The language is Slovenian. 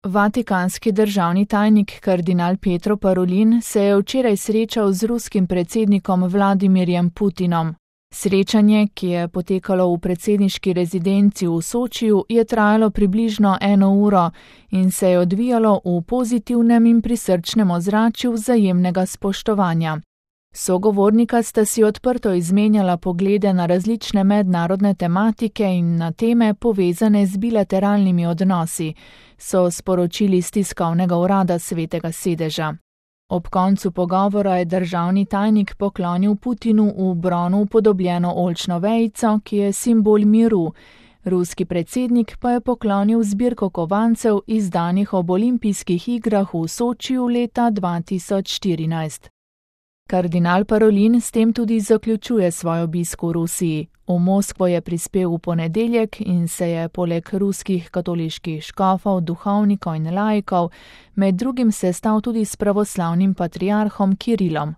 Vatikanski državni tajnik kardinal Pietro Parolin se je včeraj srečal z ruskim predsednikom Vladimirjem Putinom. Srečanje, ki je potekalo v predsedniški rezidenci v Sočiju, je trajalo približno 1 uro in se je odvijalo v pozitivnem in prisrčnem ozračju vzajemnega spoštovanja. Sogovornika sta si odprto izmenjala poglede na različne mednarodne tematike in na teme povezane z bilateralnimi odnosi, so sporočili iz tiskovnega urada Svetega sedeža. Ob koncu pogovora je državni tajnik poklonil Putinu v bronu upodobljeno oljčno vejico, ki je simbol miru. Ruski predsednik pa je poklonil zbirko kovancev izdanih ob olimpijskih igrah v Sočiju leta 2014. Kardinal Parolin s tem tudi zaključuje svoj obisk v Rusiji. V Moskvo je prispel v ponedeljek in se je poleg ruskih katoliških škofov, duhovnikov in laikov med drugim sestal tudi s pravoslavnim patriarhom Kirilom.